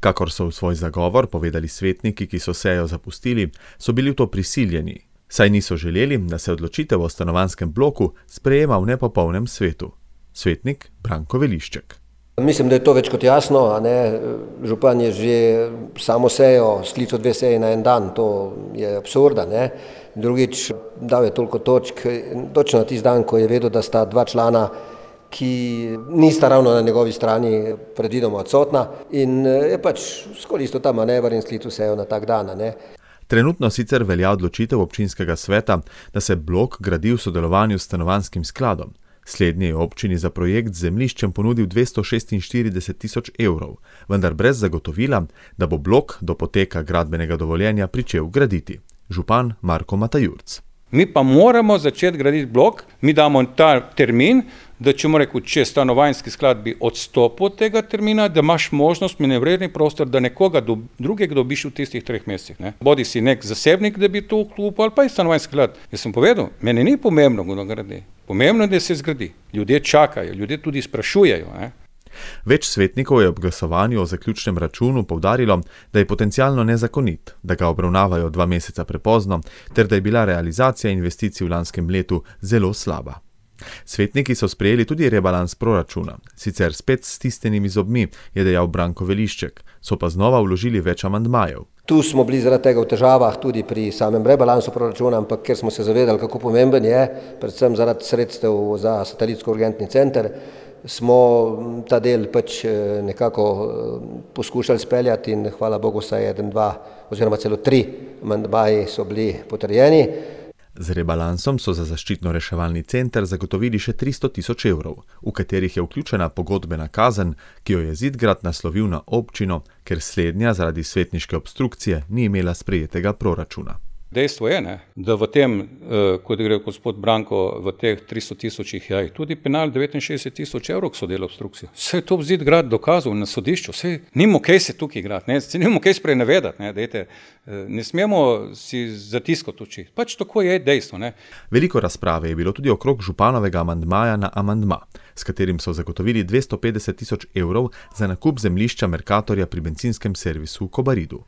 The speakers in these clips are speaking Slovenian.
Kakor so v svoj zagovor povedali svetniki, ki so sejo zapustili, so bili v to prisiljeni, saj niso želeli, da se odločitev o stanovanjskem bloku sprejema v nepopolnem svetu. Svetnik Branko Velišček. Mislim, da je to več kot jasno, Župan je že samo sejo sklical 2 seje na en dan, to je absurda, Drugič, dal je toliko točk, točno na tisti dan, ko je vedel, da sta 2 člana, ki nista ravno na njegovi strani, predvidoma odsotna, in je skoristil ta manever in sklical sejo na tak dan, Trenutno sicer velja odločitev občinskega sveta, da se blok gradi v sodelovanju s stanovanjskim skladom. Slednji je občini za projekt z zemljiščem ponudil 246 tisoč evrov, vendar brez zagotovila, da bo blok do poteka gradbenega dovoljenja pričel graditi. Župan Marko Matajurc. Mi pa moramo začeti graditi blok, mi damo ta termin, da če stanovanjski sklad bi odstopil od tega termina, da imaš možnost, manevrerni prostor, da nekoga drugega dobiš v tistih 3 mesecih. Bodi si nek zasebnik, da bi to vklopil, ali pa je stanovanjski sklad. Jaz sem povedal, meni ni pomembno, kdo gradi. Pomembno je, da se zgradi. Ljudje čakajo, ljudje tudi sprašujejo. Več svetnikov je ob glasovanju o zaključnem računu poudarilo, da je potencialno nezakonit, da ga obravnavajo 2 meseca prepozno, ter da je bila realizacija investicij v lanskem letu zelo slaba. Svetniki so sprejeli tudi rebalans proračuna, sicer spet s stisnjenimi zobmi, je dejal Branko Velišček, so pa znova vložili več amandmajev. Tu smo bili zaradi tega v težavah tudi pri samem rebalansu proračuna, ampak ker smo se zavedali, kako pomemben je, predvsem zaradi sredstev za satelitsko-urgentni center, smo ta del nekako poskušali speljati in hvala Bogu saj 1, 2 oziroma celo 3 amandmaji so bili potrjeni. Z rebalansom so za zaščitno-reševalni center zagotovili še 300 tisoč evrov, v katerih je vključena pogodbena kazen, ki jo je Zidgrad naslovil na občino, ker slednja zaradi svetniške obstrukcije ni imela sprejetega proračuna. Dejstvo je, da v tem, kot gre gospod Branko, v teh 300 tisočih je tudi penal 69 tisoč evrov, so del obstrukcije. Vse je to Zidgrad dokazal na sodišču, vse nimo kaj se tukaj igrati, nimo kaj sprenevedati, ne smemo si zatiskati oči. Tako je dejstvo. Veliko razprave je bilo tudi okrog županovega amandmaja na amandma, s katerim so zagotovili 250 tisoč evrov za nakup zemljišča Mercatorja pri bencinskem servisu v Kobaridu.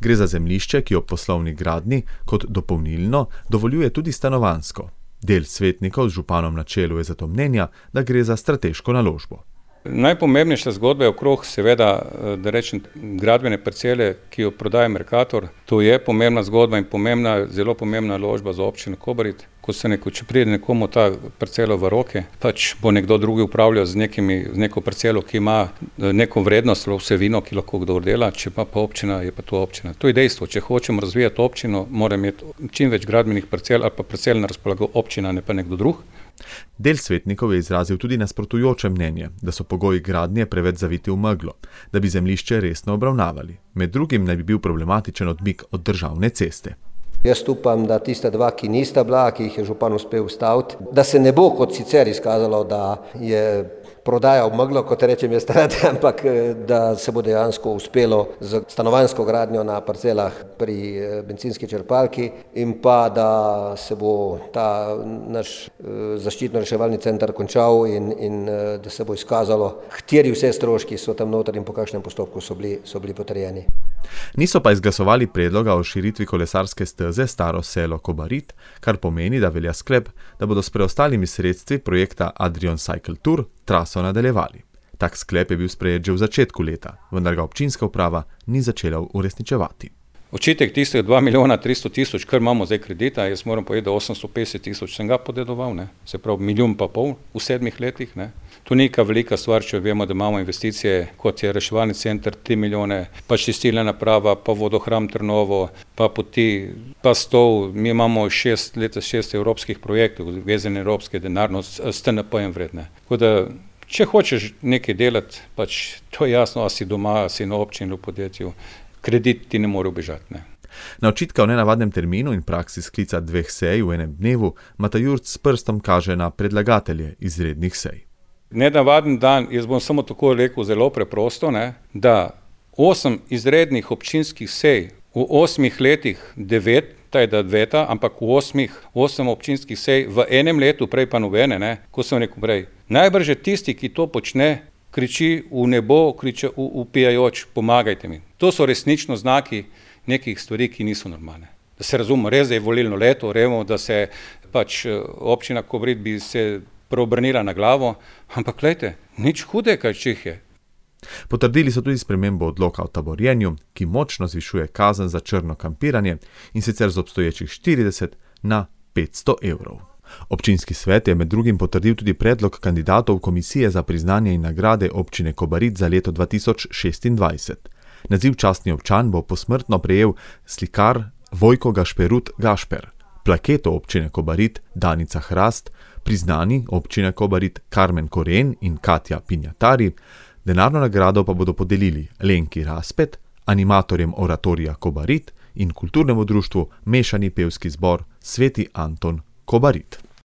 Gre za zemljišče, ki ob poslovni gradnji kot dopolnilno dovoljuje tudi stanovanjsko. Del svetnikov z županom na čelu je zato mnenja, da gre za strateško naložbo. Najpomembnejša zgodba je okrog, seveda, da rečem, gradbene parcele, ki jo prodaja Mercator. To je pomembna zgodba in zelo pomembna naložba za občino Kobarid. Če pride nekomu ta parcela v roke, bo nekdo drugi upravljal z neko parcelo, ki ima neko vrednost, vsebino, ki lahko kdo dela, če pa občina, je pa to občina. To je dejstvo. Če hočemo razvijati občino, mora imeti čim več gradbenih parcel ali pa parcel na razpolago občina, ne pa nekdo drug. Del svetnikov je izrazil tudi nasprotujoče mnenje, da so pogoji gradnje preveč zaviti v meglo, da bi zemljišče resno obravnavali. Med drugim naj bi bil problematičen odmik od državne ceste. Jaz upam, da tista 2, ki nista bila, ki jih je župan uspel ustaviti, da se ne bo kot sicer izkazalo, da je prodaja v meglo, kot rečem jaz rad, ampak da se bo dejansko uspelo z stanovanjsko gradnjo na parcelah pri bencinski črpalki in pa da se bo ta naš zaščitno-reševalni center končal in da se bo izkazalo, kateri vse stroški so tam noter in po kakšnem postopku so bili potrjeni. Niso pa izglasovali predloga o širitvi kolesarske steze Staro selo Kobarid, kar pomeni, da velja sklep, da bodo s preostalimi sredstvi projekta Adrian Cycle Tour traso nadaljevali. Tak sklep je bil sprejet že v začetku leta, vendar ga občinska uprava ni začela uresničevati. Očitek tistih 2 milijona 300 tisoč, kar imamo zdaj kredita, jaz moram povedati, da 850 tisoč sem ga podedoval, se pravi 1,5 milijona v 7 letih. To ni neka velika stvar, če vemo, da imamo investicije, kot je reševalni center, 3 milijone, pa čistilna naprava, pa vodohram Trnovo, pa poti, pa stol. Mi imamo 6 evropskih projektov, vezane evropske denarno s TNP-jem vredne. Tako da, če hočeš nekaj delati, to je jasno, a si doma, a si na občini v podjetju, kredit ti ne more ubežati. Na očitka o nenavadnem terminu in praksi sklica 2 sej v enem dnevu, Matajurc s prstom kaže na predlagatelje izrednih sej. Nenavaden dan, jaz bom samo tako rekel zelo preprosto, da 8 izrednih občinskih sej v 8 letih, 9, ampak v 8 občinskih sej v enem letu, prej pa nobene, ko sem rekel prej. Najbrž je tisti, ki to počne, kriči v nebo, kriči upijajoč, pomagajte mi. To so resnično znaki nekih stvari, ki niso normalne. Da se razumemo, res je volilno leto, vemo, da se pač občina Kobarid bi se preobrnila na glavo, ampak glejte, nič hude, kaj čih je. Potrdili so tudi spremembo odloka o taborjenju, ki močno zvišuje kazen za črno kampiranje, in sicer z obstoječih 40 na 500 evrov. Občinski svet je med drugim potrdil tudi predlog kandidatov Komisije za priznanje in nagrade občine Kobarid za leto 2026. Naziv častni občan bo posmrtno prejel slikar Vojko Gašperut Gašper, plaketo občine Kobarid Danica Hrast, priznani občine Kobarid Karmen Koren in Katja Pinjatari, denarno nagrado pa bodo podelili Lenki Raspet, animatorjem oratorija Kobarid in kulturnemu društvu Mešani pevski zbor Sveti Anton Kobarid.